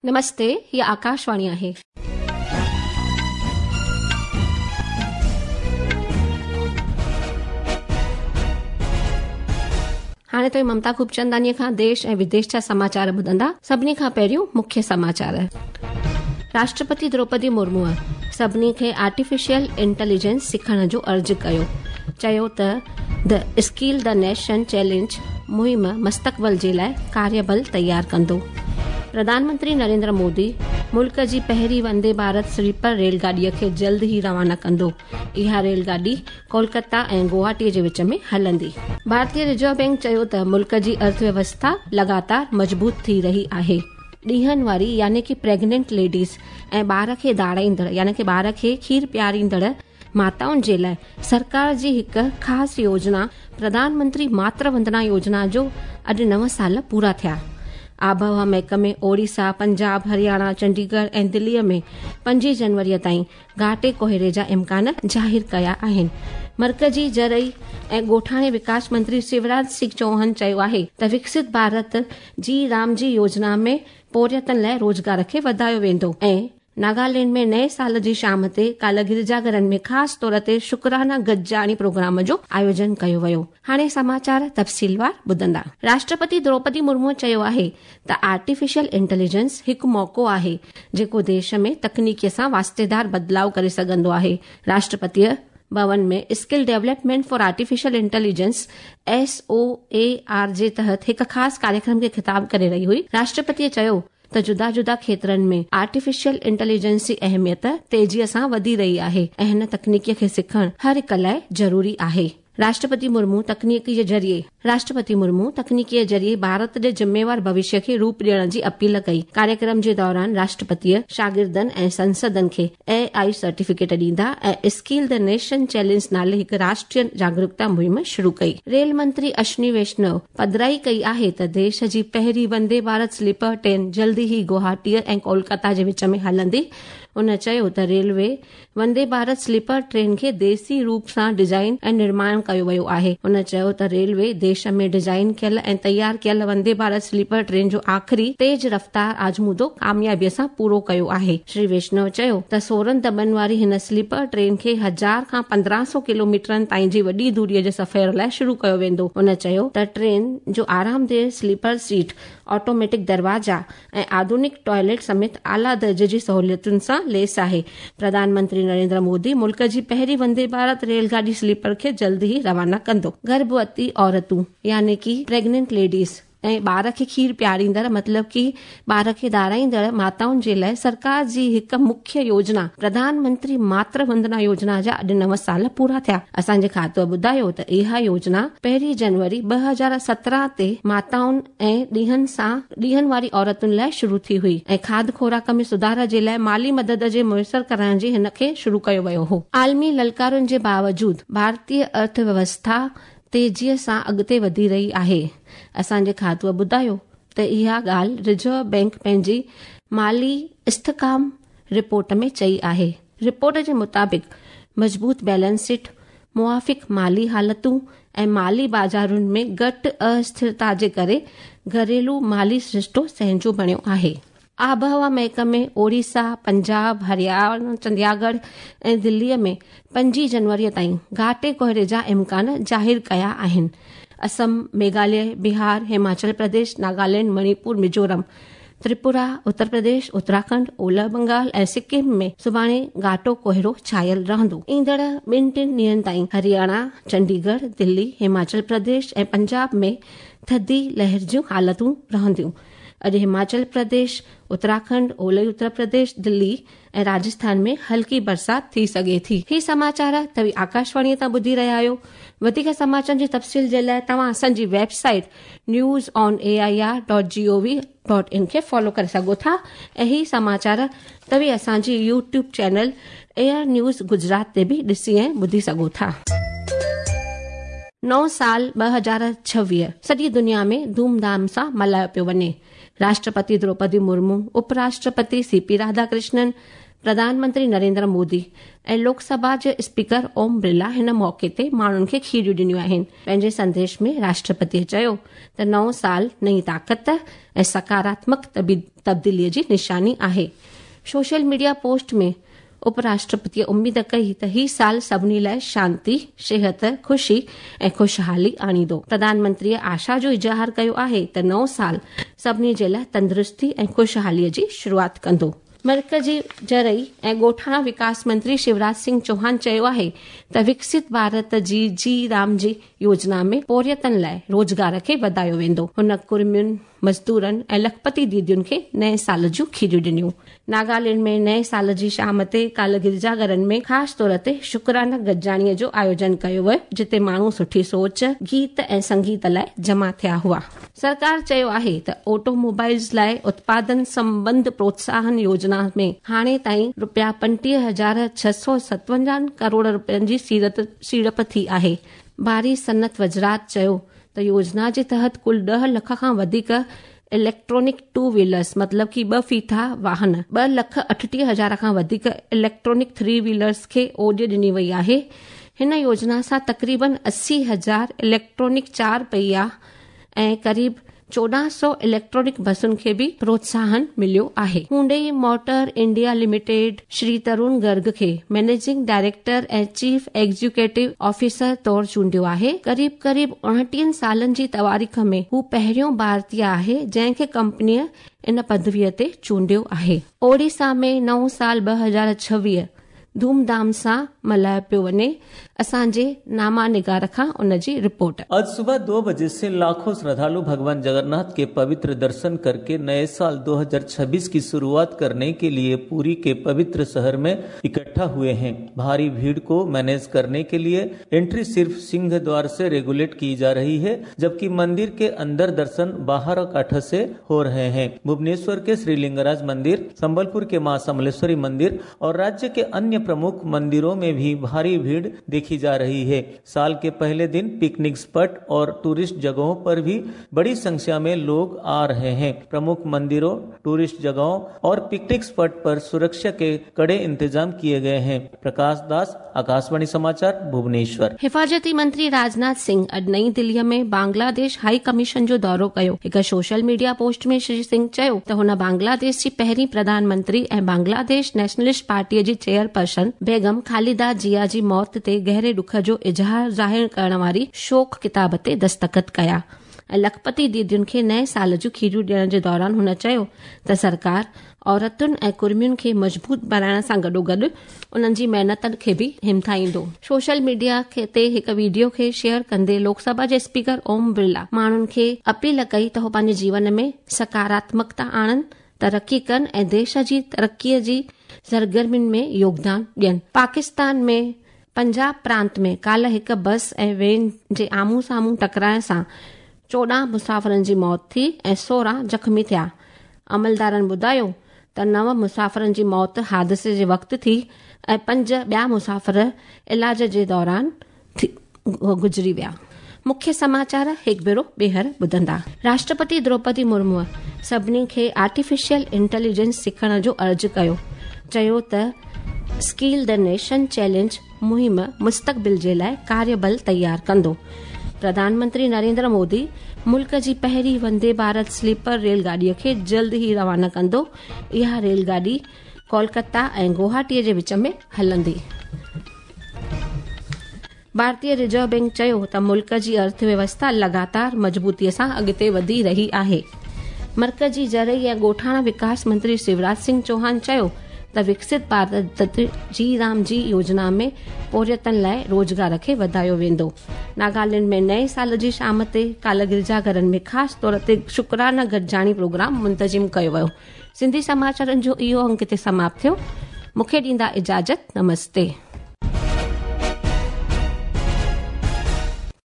نمستي، هيء آڪاشواڻي آهي. هاڻي توهين ممتا خوبچندانيء کان ديش ۽ وديش جا سماچار ٻڌندا. سڀني کان پهريون مکيه سماچار. راشٽرپتي دروپدي مرموء سڀني کي آرٽيفيشل انٽيليجنس سکڻ جو عرض ڪيو، چيو ته the skill the nation challenge مهم مستقبل جي لاء ڪاريبل تيار ڪندو. پرڌان منتري نريندر مودي ملڪ جي پهرين وندي ڀارت سليپر ريل گاڏيء کي جلد ئي روانا ڪندو. اها ريل گاڏي ڪولڪتا ۽ گوهاٽي جي وچ ۾ هلندي. ڀارتي رزرو بئنڪ چيو ته ملڪ جي ارٿويوسٿا لڳاتار مضبوط ٿي رهي آهي. ڏينهن واري يعني ڪي پريگننٽ ليڊيز ۽ ٻار کي ڌارائيندڙ يعني ڪي ٻار کي کير پياريندڙ ماتائن جي لاء سرڪار جي هڪ خاص يوجنا پرڌان منتري ماتر وندنا يوجنا جو اڄ نو سال پورا ٿيا. آبهوا محڪمي اوڙيسا، پنجاب، هرياڻا، چنڊيڳڙهه ۽ دليء ۾ پنجين جنوريء تائين گهاٽي ڪوهيڙي جا امڪان ظاهر ڪيا آهن. مرڪزي زرعي ۽ ڳوٺاڻي وڪاس منتري شيوراج سنگهه چوهان چيو آهي ته وڪست ڀارت جي رام جي يوجنا ۾ پورهيتن لاء روزگار کي وڌايو ويندو ۽ ناگالينڊ ۾ نئين سال جي شام تي ڪالهه گرجا گهرن ۾ خاص طور تي شڪرانا گڏجاڻي پروگرام جو آيوجن ڪيو ويو. هاڻي سماچار تفصيلوار ٻڌندا. راشٽرپتي دروپدي مرمو چيو آهي ته آرٽيفيشل انٽيليجنس هڪ موقعو آهي جيڪو ديش ۾ تڪنيڪي سان واسطيدار بدلاء ڪري سگهندو آهي. راشٽرپتيء ڀون ۾ skill development for artificial intelligence, S O A R, جي تحت هڪ خاص ڪاريڪرم کي خطاب ڪري رهي هئي. راشٽرپتيء چيو ته جدا جدا کيترن ۾ آرٽيفيشل انٽيليجنس جي اهميت تيزيء سان وڌي رهي آهي ۽ هن تڪنيڪيء کي سکڻ هر هڪ لاء ضروري آهي. راشٽرپتي مرمو تڪنيڪي جي ذريعي راشٽرپتي مرمو تڪنيڪي جي ذريعي ڀارت جي ذميوار ڀوشيه کي روپ ڏيڻ جي اپيل ڪئي. ڪاريڪرم جي دوران راشٽرپتيء شاگردن ۽ سنسدن کي اي I certificate ڏيندا ۽ اسڪيل the nation challenge نالي هڪ راشٽريه جاگرڪتا مهم شروع ڪئي. ريل منتري اشوني ويشنو پڌرائي ڪئي آهي ته ديش جي پهرين وندي ڀارت سليپر ٽرين جلد ئي گوهاٽيء ۽ ڪولڪتا جي وچ ۾ هلندي. هن چيو ته ريلوي وندي ڀارت سليپر ٽرين کي ديسي روپ سان ڊزائين ۽ نرماڻ ڪيو ويو آهي. هن چيو ته ريلوي ديش ۾ ڊزائين ڪيل ۽ تيار ڪيل وندي ڀارت سليپر ٽرين جو آخري تيز رفتار آزمودو ڪاميابي سان پورو ڪيو آهي. شري ويشنو چيو ته 16 دٻن واري هن سليپر ٽرين کي هزار کان 15 سو ڪلوميٽرن تائين جي وڏي دوري جي سفر لاء شروع ڪيو ويندو. هن چيو ته ٽرين جو آرامده سليپر سيٽ، آٽوميٽڪ دروازا ۽ آڌونڪ ٽوائليٽ سميت اعليٰ درجي جي سهوليتن سان ليس آهي. پرڌان منتري نريندر مودي ملڪ جي پهرين وندي ڀارت ريل گاڏي سليپر کي جلد ئي روانا ڪندو. گرڀوتي عورتون يعني ڪي پريگننٽ ليڊيز ۽ ٻار کي کير پياريندڙ مطلب ڪي ٻار کي ڌارائيندڙ ماتائن جي لاء سرڪار جي هڪ مکيه يوجنا پرڌان منتري ماتر وندنا يوجنا جا اڄ نو سال پورا ٿيا. اسان جي کاتوء ٻڌايو ته اها يوجنا پهرين جنوري 2017 تي ماتائن ۽ ڏينهن سان ڏينهن واري عورتن لاء شروع ٿي هئي ۽ کاڌ خوراڪ ۾ سڌار جي لاء مالي مدد جي ميسر ڪرائڻ جي هن کي شروع ڪيو ويو هو. عالمي للڪارن جي باوجود ڀارتي ارٿ ويوسٿا تيزيء سان اڳتي وڌي رهي آهي. اسان جي کاتوء ٻڌايو ته اها ڳالهه رزرو بئنڪ پنهنجي مالي استحڪام رپورٽ ۾ چئي آهي. رپورٽ جي مطابق مضبوط بيلنس شيٽ، موافق مالي حالتون ۽ مالي بازارن ۾ گهٽ اسٿرتا جي ڪري گهريلو مالي سرشتو سهنجو بڻيو آهي. آبهوا محڪمي اوڙيسا، پنجاب، هرياڻا، چندياڳڙهه ۽ دليء ۾ پنجين جنوريء تائين گهاٽي ڪوهيڙي جا امڪان ظاهر ڪيا آهن. اسم، ميگهاليه، بهار، هماچل پرديش، ناگالينڊ، مڻيپور، ميزورم، تريپورا، اتر پرديش، اتراکنڊ، اولهه بنگال ۽ سڪم ۾ سڀاڻي گهاٽو ڪوهيڙو ڇانيل رهندو. ايندڙ ٻن ٽن ڏينهن تائين هرياڻا، چنڊيڳڙهه، دلي، هماچل پرديش ۽ پنجاب ۾ ٿڌي لهر جون حالتون رهنديون. اڄ هماچل پرديش، اتراکنڊ، اولهي اتر پرديش، دلي ۽ راجسٿان ۾ هلڪي برسات ٿي سگهي ٿي. هي سماچار توهين آڪاشواڻيء تان ٻڌي رهيا آهيو. وڌيڪ سماچارن جي تفصيل جي لاء توهان اسان جي website news on A I R dot G O V dot in کي فالو ڪري سگهو ٿا ۽ هي سماچار توهين اسان جي YouTube channel air news Gujarat تي به ڏسي ۽ ٻڌي سگهو ٿا. نئون سال 2026 سڄي دنيا ۾ ڌوم ڌام سان ملهايو پيو وڃي. راشٽرپتي دروپدي مرمو، اپ راشٽرپتي سي پي راڌا ڪرشنن، پرڌان منتري نريندر مودي ۽ لوڪ سڀا جي اسپيڪر اوم برلا هن موقعي تي ماڻهن کي کيريون ڏنيون آهن. پنهنجي سنديش ۾ راشٽرپتيء چيو ته نئون سال نئين طاقت ۽ سڪاراتمڪ تبديليء جي نشاني آهي. سوشل ميڊيا پوسٽ ۾ اپ راشٽرپتيء اميد ڪئي ته هي سال سڀني لاء شانتي، صحت، خوشي ۽ خوشحالي آڻيندو. پرڌان منتريء آشا جو اظهار ڪيو آهي ته نئون سال سڀني جي لاء تندرستي ۽ خوشحاليء جي شروعات ڪندو. مرڪزي زرعي ۽ ڳوٺاڻا وڪاس منتري شيوراج سنگهه چوهان چيو آهي ته وڪست ڀارت جي جي رام جي يوجنا ۾ پورهيتن لاء روزگار کي وڌايو ويندو. هن ڪڙمين، مزدورن ۽ لکپتي ديدين کي نئين سال جون کيريون ڏنيون. ناگالينڊ ۾ نئين سال جي شام تي ڪالهه گرجا گهرن ۾ خاص طور تي شڪرانا گڏجاڻي جو آيوجن ڪيو ويو جتي ماڻهو سٺي سوچ، گيت ۽ سنگيت لاء جمع ٿيا هئا. سرڪار چيو آهي ته آٽو موبائلز لاء اتپادن سنٻنڌ پروتساهن يوجنا ۾ هاڻي تائين رپيا 25657 ڪروڙ رپين جي سيڙپ ٿي آهي. ڀاري صنعت وزارت چيو ته يوجنا جي تحت ڪل ڏهه لک کان وڌيڪ اليڪٽرانڪ ٽو ويلرز مطلب ڪي ٻه ڦيٿا واهن، 2,38,000 کان وڌيڪ اليڪٽرانڪ ٿري ويلرز کي اوڏ ڏني وئي آهي. هن يوجنا سان تقريبن 80 هزار اليڪٽرانڪ چار پهيا ۽ قريب 1400 اليڪٽرانڪ بسن کي به پروتساهن مليو آهي. Hyundai motor India limited Shri Tarun Garg کي managing director ۽ chief executive officer طور چونڊيو آهي. قريب قريب اڻٽيهن سالن جي تواريخ ۾ هو پهريون ڀارتي آهي جنهن کي ڪمپنيء ان پدويء تي چونڊيو آهي. اوڙيسا ۾ نئون سال 2026 ڌوم ڌام سان ملهايو پيو وڃي، اسان جي ناما نگار کان ان جي رپورٽ. आज सुबह 2 बजे से लाखों श्रद्धालु भगवान जगन्नाथ के पवित्र दर्शन करके नए साल 2026 की शुरुआत करने के लिए पुरी के पवित्र शहर में इकट्ठा हुए हैं। भारी भीड़ को मैनेज करने के लिए एंट्री सिर्फ सिंह द्वार से रेगुलेट की जा रही है, जबकि मंदिर के अंदर दर्शन बाहर कांठा से हो रहे हैं। भुवनेश्वर के श्री लिंगराज मंदिर, संबलपुर के मां समलेश्वरी मंदिर और राज्य के अन्य प्रमुख मंदिरों में भी भारी भीड़ देखी जा रही है। साल के पहले दिन पिकनिक स्पॉट और टूरिस्ट जगहों पर भी बड़ी संख्या में लोग आ रहे हैं। प्रमुख मंदिरों, टूरिस्ट जगहों और पिकनिक स्पॉट पर सुरक्षा के कड़े इंतजाम किए गए हैं। प्रकाश दास, आकाशवाणी समाचार, भुवनेश्वर। हिफाज़ती मंत्री राजनाथ सिंह अॼु नई दिल्लीअ में बांग्लादेश हाई कमीशन जो दौरो कयो। हिकु सोशल मीडिया पोस्ट में श्री सिंह चयो त हुन बांग्लादेश जी पहिरीं प्रधानमंत्री ऐं बांग्लादेश नेशनलिस्ट पार्टीअ जी चेयरपर्सन बेगम खालिदा जिया जी मौत ते गहरे ॾुख जो इज़हार ज़ाहिर करण वारी शोक किताब ते दस्तख़त कया ऐं लखपति दीदियुनि खे नएं साल जूं खीरियूं ॾियण जे दौरान हुन चयो त सरकार औरतुनि ऐं कुर्मियुनि खे मज़बूत बणाइण सां गॾोगॾु उन्हनि जी महिनतनि खे बि हिमथाईंदो। सोशल मीडिया ते हिकु वीडियो खे शेयर कंदे लोकसभा जे स्पीकर ओम बिरला माण्हुनि खे अपील कई त हू पंहिंजे जीवन में सकारात्मकता आणनि, तरक़ी कनि ऐं देश जी तरक़ीअ जी सरगर्मियुनि में योगदान ॾियनि। पाकिस्तान में पंजाब प्रांत में काल्ह हिकु बस ऐं वैन जे आम्हूं साम्हूं टकराइण सां 14 मुसाफ़िरनि जी मौत थी ऐं 16 ज़ख़्मी थिया। अमलदारनि ॿुधायो त 9 मुसाफ़िरनि जी मौत हादिसे जे वक़्तु थी ऐं 5 ॿिया मुसाफ़िर इलाज जे दौरान गुज़री विया। मुख्य समाचार हिकु भेरो ॿीहर ॿुधंदा। राष्ट्रपति द्रौपदी मुर्मूअ सभिनी खे आर्टिफिशियल इंटेलिजेंस सिखण जो अर्ज़ु कयो। चयो त स्किल the nation challenge मुहिम मुस्तक़बिल जे लाइ कार्यबल तयारु कंदो। प्रधानमंत्री नरेंद्र मोदी मुल्क जी पहिरीं वंदे भारत स्लीपर रेलगाॾीअ खे जल्द ई रवाना कंदो। इहा रेलगाॾी कोलकाता ऐं गुवाहाटीअ जे विच में हलंदी। भारतीय रिजर्व बैंक चयो त मुल्क जी अर्थव्यवस्था लगातार मज़बूतीअ सां अॻिते वधी रही आहे। मर्कज़ी ज़रई ऐं ॻोठाणा विकास मंत्री शिवराज सिंह चौहान चयो त विकसित भारत जी राम जी योजना में पोरियतनि लाइ रोज़गार खे वधायो वेंदो। नागालैंड में नएं साल जी शाम ते काल्ह गिरजा घरनि में ख़ासि तौर ते शुक्राना गॾिजाणी प्रोग्राम मुंतज़िम कयो वियो। सिंधी समाचारनि जो इहो अंक हिते समाप्त थियो। मूंखे ॾींदा इजाज़त। नमस्ते।